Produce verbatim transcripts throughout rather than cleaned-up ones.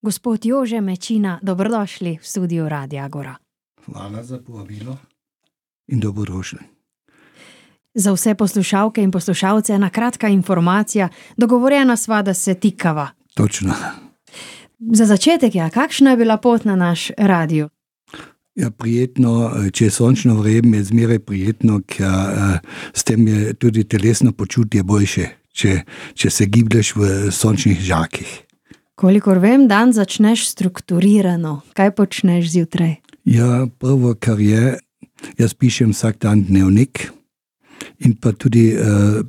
Gospod Jože Mečina, dobrodošli v studiu Radia Agora. Hvala za povabilo in dobrodošli. Za vse poslušalke in poslušalce ena kratka informacija. Dogovorjena sva, da se tikava. Točno. Za začetek, ja, kakšna je bila pot na naš radio? Ja, prijetno, če je sončno vreme, je zmeraj prijetno, ker s tem je tudi telesno počutje boljše, če, če se giblješ v sončnih žarkih. Kolikor vem, dan začneš strukturirano. Kaj počneš zjutraj? Ja, prvo, kar je, jaz pišem vsak dan dnevnik in pa tudi uh,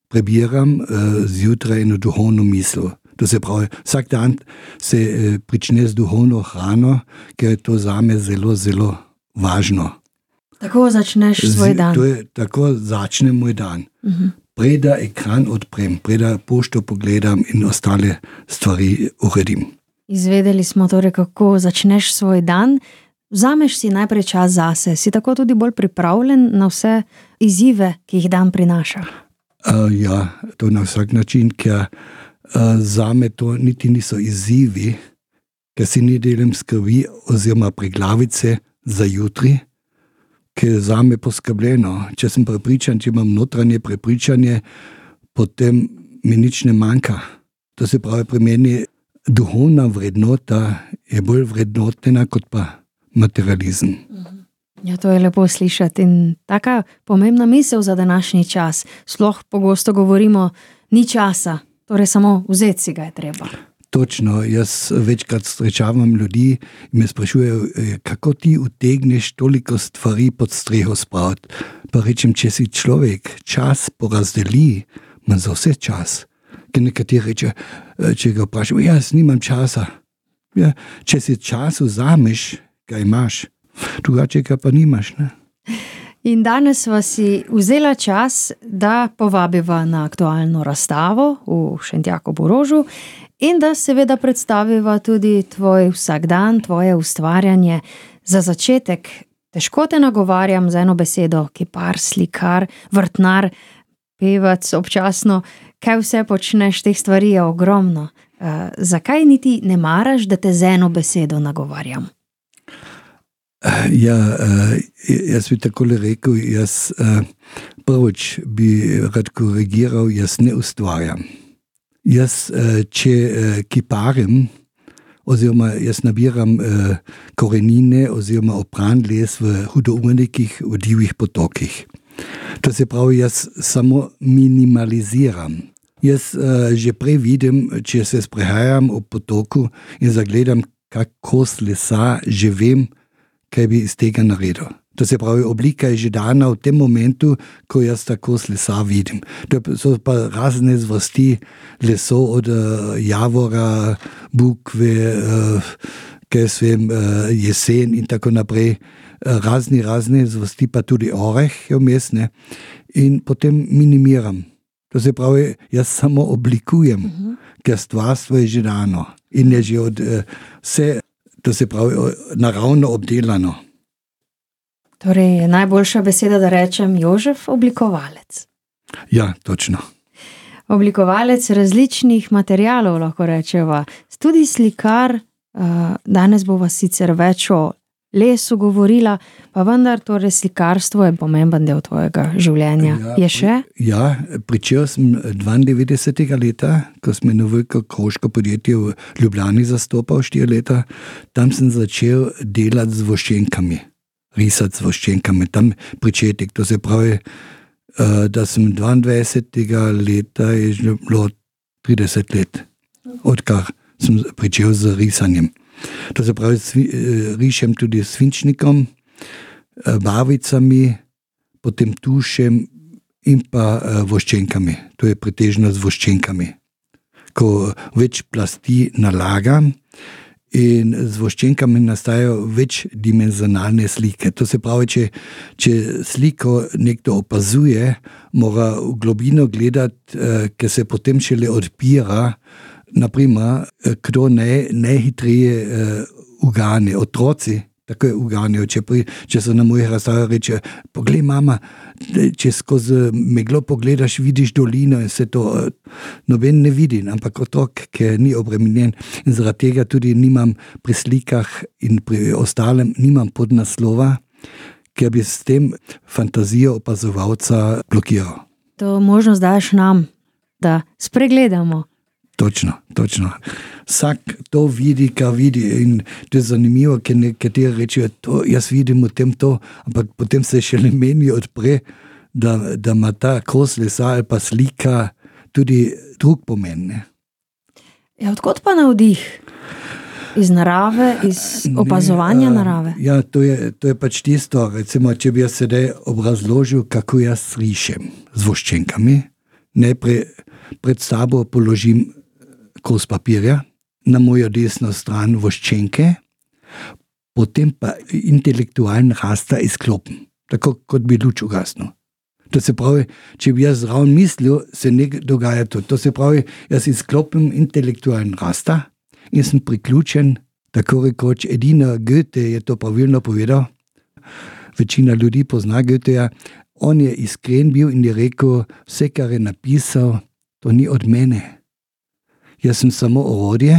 prebiram uh, zjutraj eno duhovno misel. To se pravi, vsak dan se uh, prične z duhovno hrano, ker je to zame zelo, zelo važno. Tako začneš svoj dan? To je, tako začne moj dan. Uh-huh. Preda ekran odprem, preda pošto pogledam in ostale stvari uredim. Izvedeli smo torej, kako začneš svoj dan. Vzameš si najprej čas zase. Si tako tudi bolj pripravljen na vse izzive, ki jih dan prinaša? Uh, ja, to na vsak način, ker uh, zame to niti niso izzivi, ker si ne delim skrbi oziroma preglavice za jutri, ker je zame poskrbljeno. Če sem prepričan, če imam notranje prepričanje, potem mi nič ne manjka. To se pravi, pri meni duhovna vrednota je bolj vrednotena kot pa materializem. Ja, to je lepo slišati in taka pomembna misel za današnji čas. Sploh pogosto govorimo, ni časa, torej samo vzeti si ga je treba. Točno, jaz večkrat srečavam ljudi in me sprašujejo, kako ti utegneš toliko stvari pod streho spraviti. Pa rečem, če si človek, čas porazdeli, ima za vse čas. Ker nekateri reče, če ga vprašam, jaz nimam časa. Ja, če si čas vzameš, ga imaš, drugače ga pa nimaš. Ne? In danes sva si vzela čas, da povabiva na aktualno razstavo v Šentjakobu Rožu in da seveda predstaviva tudi tvoj vsakdan, tvoje ustvarjanje. Za začetek, težko te nagovarjam z eno besedo, kipar, slikar, vrtnar, pevac občasno, kaj vse počneš, teh stvari je ogromno. Uh, zakaj niti ne maraš, da te z eno besedo nagovarjam? Ja, jaz bi takole rekel, jaz prvič bi rad korigiral, jaz ne ustvarjam. Jaz, če kiparim, oziroma jaz nabiram korenine oziroma opran les v hudournikih, v divjih potokih. To se pravi, jaz samo minimaliziram. Jaz že prej vidim, če se sprehajam ob potoku in zagledam kak kos lesa, že vem, kaj bi iz tega naredil. To se pravi, oblika je že dana v tem momentu, ko jaz tako s lesa vidim. To so pa razne zvrsti lesov od uh, javora, bukve, uh, kaj svem, uh, jesen in tako naprej. Uh, razni, razne zvrsti, pa tudi oreh je vmes, ne. In potem minimiram. To se pravi, jaz samo oblikujem, uh-huh. ker stvarstvo je že dano in je že od uh, vse, to se pravi, naravno obdelano. Torej je najboljša beseda, da rečem Jožef oblikovalec. Ja, točno. Oblikovalec različnih materialov, lahko rečeva. Tudi slikar, danes bova sicer več o lesu govorila, pa vendar torej slikarstvo je pomemben del tvojega življenja. Ja, je še? Ja, pričel sem dvaindevetdesetega leta, ko sem eno veliko kroško podjetje v Ljubljani zastopal štiri leta. Tam sem začel delati z voščenkami, risati z voščenkami. Tam pričetek, to se pravi, da sem dvaindvajsetega leta je že bilo trideset let, odkar sem pričel z risanjem. To se pravi, rišem tudi s svinčnikom, barvicami, potem tušem in pa voščenkami. To je pretežno z voščenkami. Ko več plasti nalagam in z voščenkami nastajajo večdimenzionalne slike. To se pravi, če, če sliko nekdo opazuje, mora v globino gledati, ker se potem šele odpira, naprimer, kdo ne, najhitreje uh, ugane. Otroci tako je uganjal. Če, pri, če so na mojih razstavah reče, poglej mama, če skozi meglo pogledaš, vidiš dolino in se to noben ne vidi, ampak otrok, ki ni obremenjen in zaradi tega tudi nimam pri slikah in pri ostalem nimam podnaslova, ker bi s tem fantazijo opazovalca blokiral. To možnost daš nam, da spregledamo. Točno, točno. Vsak to vidi, kar vidi in to je zanimivo, ker nekateri rečejo, to jaz vidim v tem to, ampak potem se še ne meni odpre, da, da ima ta kos lesa ali pa slika tudi drug pomen. Ne? Ja, odkot pa navdih? Iz narave, iz opazovanja ne, narave? Ja, to je, to je pač tisto, recimo, če bi jaz sedaj obrazložil, kako jaz rišem z voščenkami, najprej pred sabo položim kos papirja, na mojo desno stran voščenke, potem pa intelektualni rasta izklopim, tako kot bi luč ugasnil. To se pravi, če bi jaz zraven mislil, se ne dogaja to. To se pravi, jaz izklopim intelektualni rasta in sem priključen, tako rekoč, edina Goethe je to pravilno povedal, večina ljudi pozna Goetheja, on je iskren bil in je rekel, vse, kar je napisal, to ni od mene. Jaz sem samo orodje,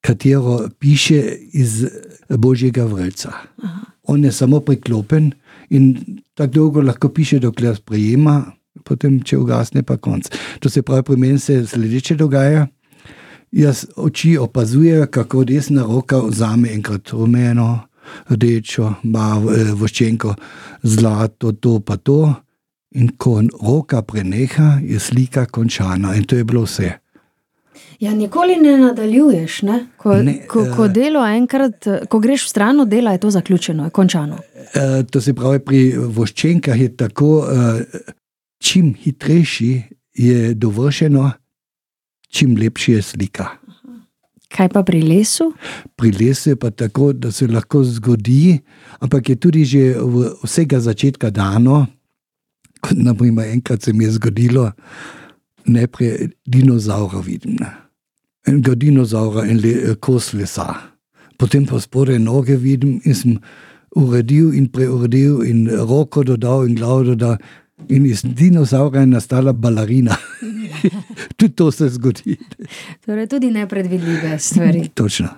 katero piše iz Božjega vrelca. Aha. On je samo priklopen in tako dolgo lahko piše, dokler sprejema, potem, če ugasne, pa konc. To se pravi, pri meni se sledeče dogaja. Jaz oči opazujem, kako desna roka vzame enkrat rumeno, rdečo, voščenko, zlato, to pa to. In ko roka preneha, je slika končana. In to je bilo vse. Ja, nikoli ne nadaljuješ, ne? Ko, ne, ko, ko delo enkrat, ko greš v stran od dela, je to zaključeno, je končano. Uh, to se pravi, pri voščenkah je tako, uh, čim hitrejši je dovršeno, čim lepši je slika. Kaj pa pri lesu? Pri lesu je pa tako, da se lahko zgodi, ampak je tudi že v vsega začetka dano, kot naprimer enkrat se mi je zgodilo, najprej dinozaura vidim. Ne? Enega dinozaura in le, kos lesa. Potem pa spodaj noge vidim in sem uredil in preuredil in roko dodal in glavo dodal in iz dinozaura je nastala balerina. Tudi to se zgodi. Torej tudi nepredvidljive stvari. Točno.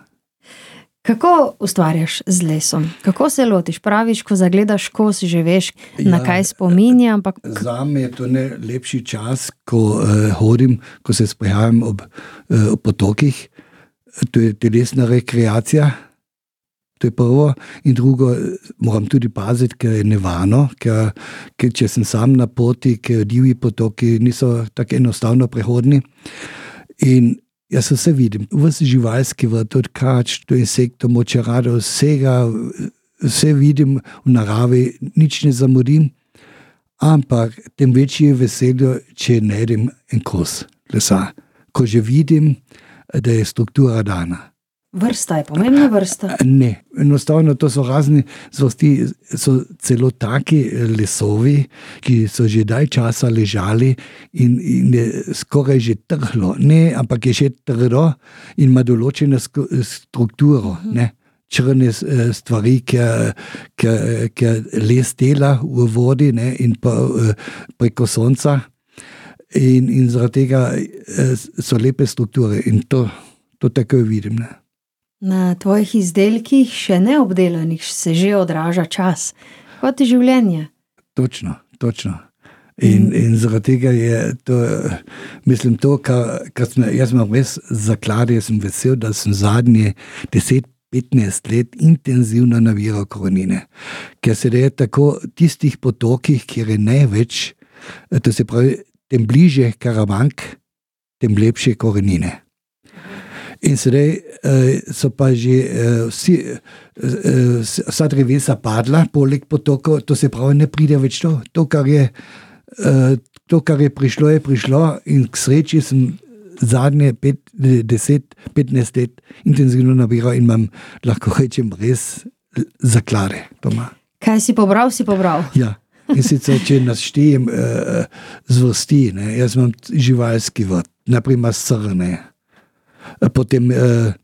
Kako ustvarjaš z lesom? Kako se lotiš? Praviš, ko zagledaš kos, že veš, na ja, kaj spominja, ampak... Zame je to najlepši čas, ko uh, hodim, ko se sprehajam ob uh, potokih. To je telesna rekreacija. To je prvo. In drugo, moram tudi paziti, ker je nevarno, ker, ker če sem sam na poti, ker divji potoki niso tako enostavno prehodni. In jaz vse vidim, vse živalski vrt, od kač do insektov, močerado, vsega, vse vidim v naravi, nič ne zamudim, ampak tem večje je veselje, če najdem en kos lesa, ko že vidim, da je struktura dana. Vrsta je pomembna vrsta? Ne, enostavno to so razni zvrsti, so celo taki lesovi, ki so že dalj časa ležali in, in je skoraj že trhlo. Ne, ampak je še trdo in ima določeno strukturo. Ne. Črne stvari, ki les dela v vodi, ne, in pa preko sonca. In, in zaradi tega so lepe strukture in to, to tako vidim. Ne. Na tvojih izdelkih, še neobdelanih, se že odraža čas. Kot je življenje. Točno, točno. In, in zaradi tega je to, mislim, to, kar, kar sem, jaz imam res zaklad, jaz sem vesel, da sem zadnje deset petnajst let intenzivno nabiral korenine. Ker se da je tako tistih potokih, kjer je največ, to se pravi, tem bliže Karavank, tem lepše korenine. In sedaj so pa že vsi, vsa drevesa padla, poleg potokov, to se pravi, ne pride več to. To, kar je, to, kar je prišlo, je prišlo in k sreči sem zadnje pet, deset, petnajst let intenzivno nabiral in imam, lahko rečem, res zaklade doma. Kaj si pobral, si pobral? Ja. In sicer, če naštejem zvrsti, ne, jaz imam živalski vrt, naprimer srne. Potem eh,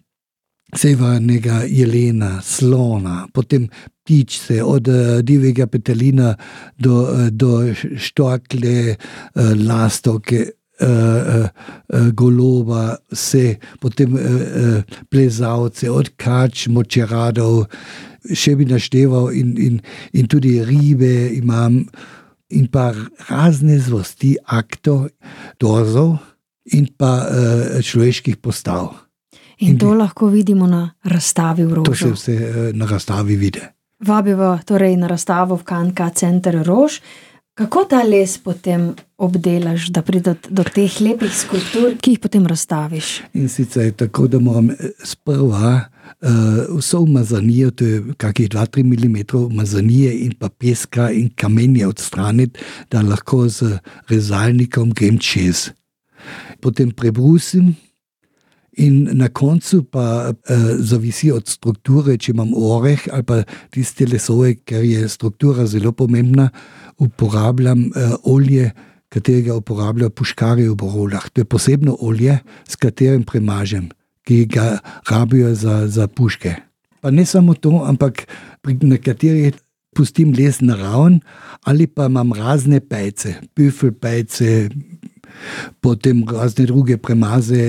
severnega jelena, slona, potem ptičce, od divjega petelina do, do štorklje, lastovke, goloba, vse, potem plezalce, od kač, močeradov, še bi našteval in, in, in tudi ribe imam in pa razne zvrsti aktov, dorzov in pa človeških postav. In to lahko vidimo na razstavi v Rožu. To se vse na razstavi vidi. Vabiva torej na razstavo v K N K center Rož. Kako ta les potem obdelaš, da pride do teh lepih skulptur, ki jih potem razstaviš? In sicer je tako, da moram sprva uh, vso umazanijo, to je kakih dva do treh milimetrov umazanije in pa peska in kamenje odstraniti, da lahko z rezalnikom grem čez. Potem prebrusim. In na koncu pa eh, zavisi od strukture, če imam oreh ali pa tiste lesove, ker je struktura zelo pomembna, uporabljam eh, olje, katerega uporabljajo puškarji v Borolah. To je posebno olje, s katerim premažem, ki ga rabijo za, za puške. Pa ne samo to, ampak pri nekaterih pustim les naraven ali pa imam razne pejce, büffelpejce, potem razne druge premaze.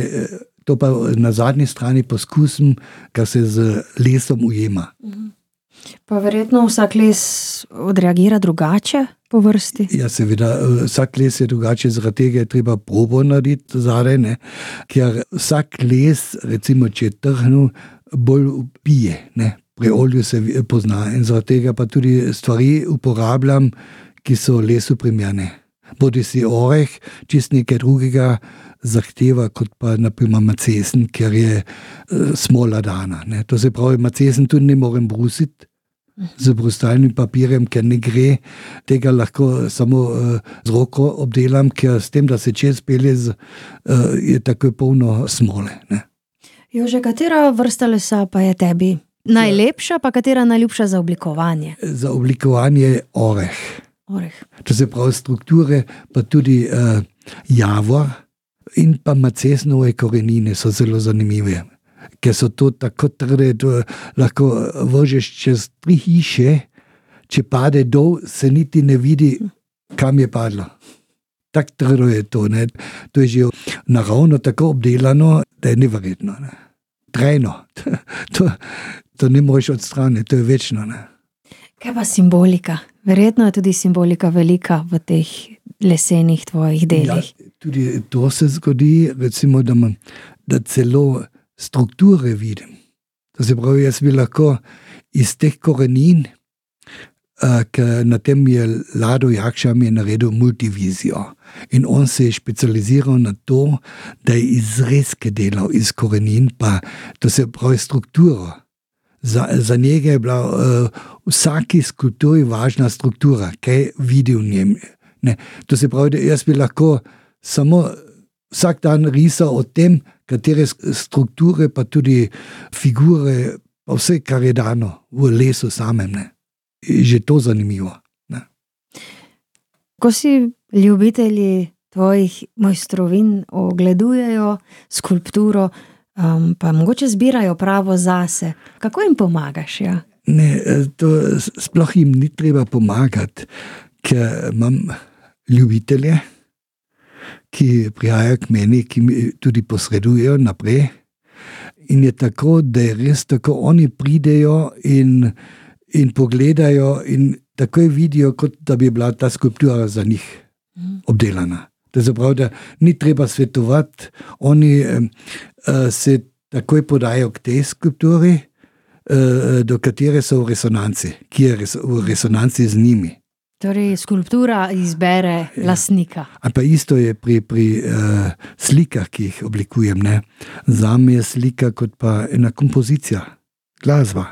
To pa na zadnji strani poskusim, kar se z lesom ujema. Pa verjetno vsak les odreagira drugače po vrsti? Ja, seveda, vsak les je drugače, zaradi tega je treba probo narediti zadaj, ne? Ker vsak les, recimo, če je trhnil, bolj pije, ne? Pri olju se pozna in zaradi tega pa tudi stvari uporabljam, ki so lesu primerne. Bodi si oreh, čist nekaj drugega zahteva, kot pa naprimer macesen, ker je uh, smola dana. Ne. To se pravi, macesen tudi ne morem brusiti z brustalnim papirjem, ker ne gre. Tega lahko samo uh, z roko obdelam, ker s tem, da se čez pelje, z, uh, je tako polno smole. Ne. Jože, katera vrsta lesa pa je tebi najlepša, pa katera najljubša za oblikovanje? Za oblikovanje oreh. Oreh. To se pravi strukture, pa tudi uh, javor, in pa macesnove korenine so zelo zanimive, ker so to tako trde, da lahko vržeš čez tri hiše, če pade dol, se niti ne vidi, kam je padlo. Tako trdo je to. Ne? To je že naravno tako obdelano, da je neverjetno. Ne? Trajno. To, to ne moreš odstraniti, to je večno. Ne? Kaj pa simbolika? Verjetno je tudi simbolika velika v teh lesenih tvojih delih. Ja, tudi to se zgodi, recimo, da, man, da celo strukture vidim. To se pravi, jaz bi lahko iz teh korenin, uh, ker na tem je Lado Jakša mi je naredil multivizijo. In on se je specializiral na to, da je izrezke delal iz korenin, pa to se pravi strukturo. Za, za njega je bila uh, vsaki skulpturi važna struktura, kaj vidi v njem. Ne. To se pravi, da jaz bi lahko samo vsak dan risal o tem, katere strukture, pa tudi figure, pa vse, kar je dano v lesu samem. Ne. Je že to zanimivo. Ne. Ko si ljubitelji tvojih mojstrovin ogledujejo skulpturo, um, pa mogoče zbirajo pravo zase, kako jim pomagaš? Ja? Ne, to sploh jim ni treba pomagati, ker imam ljubitelje, ki prihajajo k meni, ki mi tudi posredujejo naprej. In je tako, da je res tako, oni pridejo in, in pogledajo in takoj vidijo, kot da bi bila ta skulptura za njih obdelana. To je zapravo, da ni treba svetovati, oni uh, se takoj podajo k tej skulpturi, uh, do katere so v resonanci, ki je res, v resonanci z njimi. Torej, skulptura izbere ja. Lastnika. A pa isto je pri, pri uh, slikah, ki jih oblikujem. Ne? Zame je slika kot pa ena kompozicija, glasba,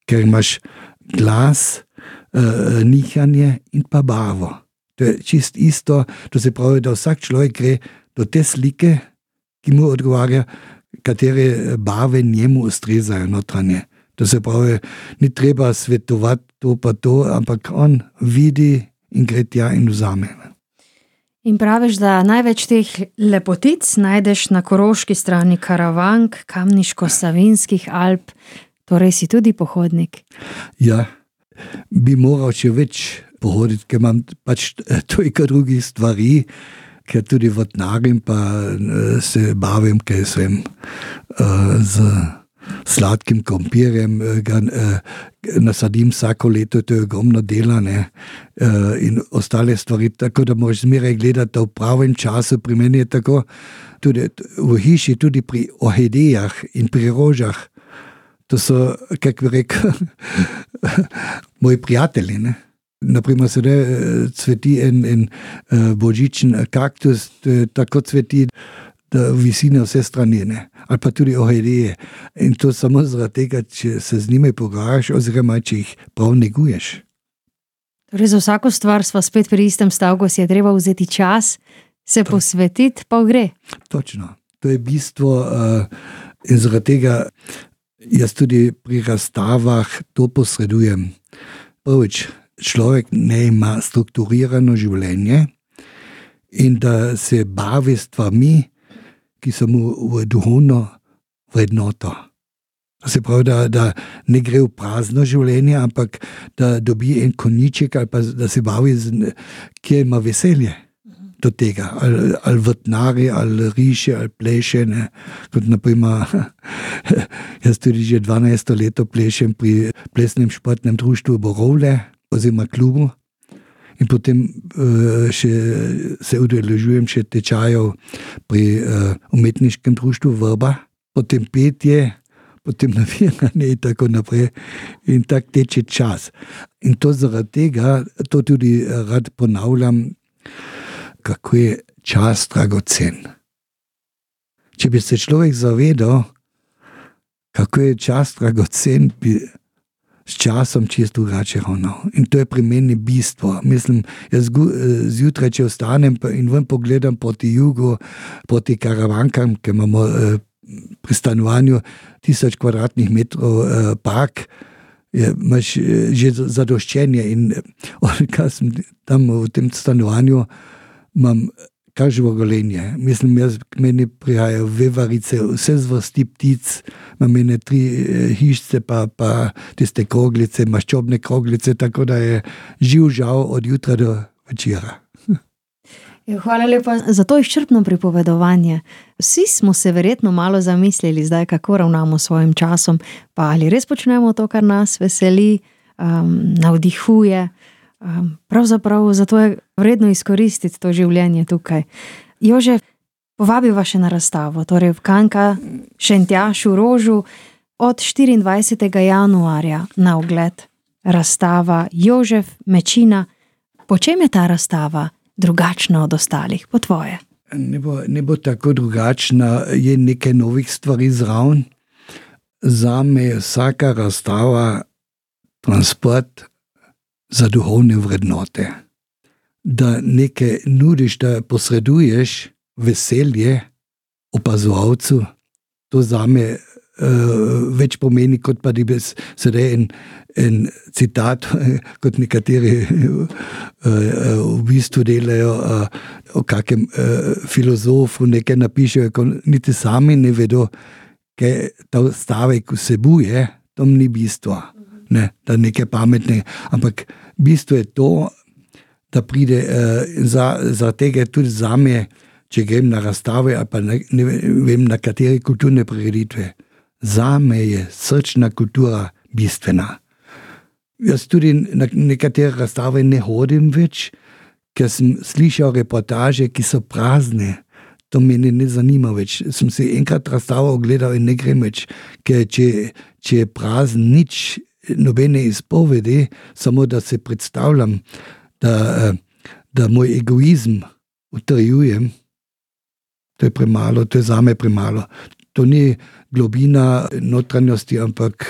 ker imaš glas, uh, nihanje in pa barvo. To je čist isto, to se pravi, da vsak človek gre do te slike, ki mu odgovarja, katere barve njemu ustrezajo notranje. To se pravi, ni treba svetovati to pa to, ampak on vidi in gre tja in vzame. In praviš, da največ teh lepotic najdeš na koroški strani Karavank, Kamniško-Savinjskih Alp, torej si tudi pohodnik. Ja, bi moral še več pohoditi, ker imam pač toliko drugih stvari, ker tudi vodnarim, pa se bavim, ker sem z sladkim krompirjem, ga nasadim vsako leto, to je ogromno dela, ne, in ostale stvari, tako da moraš zmeraj gledati, da v pravem času. Pri meni je tako, tudi v hiši, tudi pri orhidejah in pri rožah, to so, kako bi rekel, moji prijatelji, ne. Naprimer, sedaj cveti en, en božičen kaktus, tako cveti, da visi na vse strani, ne. Ali pa tudi orhideje. In to samo zaradi tega, če se z njimi pogovarjaš, oziroma če jih prav neguješ. Torej, za vsako stvar sva spet pri istem stavku, si je treba vzeti čas, se to posvetiti, pa gre. Točno. To je bistvo uh, in zaradi tega jaz tudi pri razstavah to posredujem. Prvič, človek ne ima strukturirano življenje in da se bavi s stvarmi, ki so mu v duhovno vrednoto. Se pravi, da, da ne gre v prazno življenje, ampak da dobi en konjiček ali pa da se bavi, z, kjer ima veselje do tega. Ali, ali vrtnari, ali riše, ali pleše. Ne. Kot naprimer, jaz tudi že dvanajsto leto plešem pri plesnem športnem društvu Borovle, oziroma klubu. In potem uh, še se udeležujem še tečajev pri uh, umetniškem društvu Vrba, potem petje, potem navijanje in tako naprej. In tak teče čas. In to zaradi tega, to tudi rad ponavljam, kako je čas dragocen. Če bi se človek zavedal, kako je čas dragocen, bi s časom čisto drugače ravnal. In to je pri meni bistvo. Mislim, jaz zjutraj, če ostanem in ven pogledam proti jugu, proti Karavankam, ker imamo eh, pri stanovanju tisoč kvadratnih metrov eh, park, je, imaš eh, že zadoščenje. In odkar sem tam v tem stanovanju, imam kar živogolenje. Mislim, jaz k meni prihajajo vevarice, vse zvrsti ptic, imam mene tri hišce, pa, pa tiste kroglice, maščobne kroglice, tako da je živ žal od jutra do večera. Hvala lepa za to izčrpno pripovedovanje. Vsi smo se verjetno malo zamislili zdaj, kako ravnamo s svojim časom, pa ali res počnemo to, kar nas veseli, um, navdihuje. Um, pravzaprav zato je vredno izkoristiti to življenje tukaj. Jožef, povabiva še na razstavo, torej v Kanka Šentjašu Rožu od štiriindvajsetega januarja na ogled. Razstava Jožef Mečina. Po čem je ta razstava drugačna od ostalih, po tvoje? Ne bo, ne bo tako drugačna, je nekaj novih stvari zraven. Zame je vsaka razstava transport za duhovne vrednote. Da nekaj nudiš, da posreduješ veselje opazovalcu, to zame uh, več pomeni, kot pa da bi sedaj en, en citat, kot nekateri uh, uh, v bistvu delajo uh, o kakem uh, filozofu, nekaj napišejo, ko niti sami ne vedo, kaj ta stavek vsebuje, to ni bistvo. Ne, da nekaj pametne, ampak bistvo je to, da pride uh, za, za tega tudi zame, če grem na razstave ali pa ne, ne vem na katere kulturne prireditve. Zame je srčna kultura bistvena. Jaz tudi na nekatere razstave ne hodim več, ker sem slišal reportaže, ki so prazne. To meni ne zanima več. Sem si enkrat razstavo ogledal in ne grem več, ker če, če je prazen nič, nobene izpovedi, samo da se predstavljam, da, da moj egoizm utrjujem, to je premalo, to je zame premalo. To ni globina notranjosti, ampak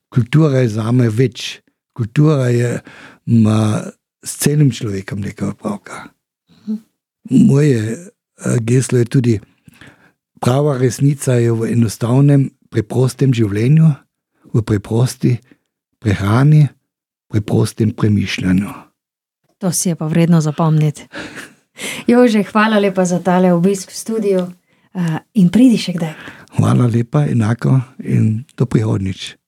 kultura je zame več. Kultura je, ima s celim človekom nekaj opravka. Moje geslo je tudi, prava resnica je v enostavnem, preprostem življenju, v preprosti prehrani, preprostem premišljanju. To si je pa vredno zapomniti. Jože, hvala lepa za tale obisk v studiu in pridi še kdaj. Hvala lepa, enako in do prihodnjič.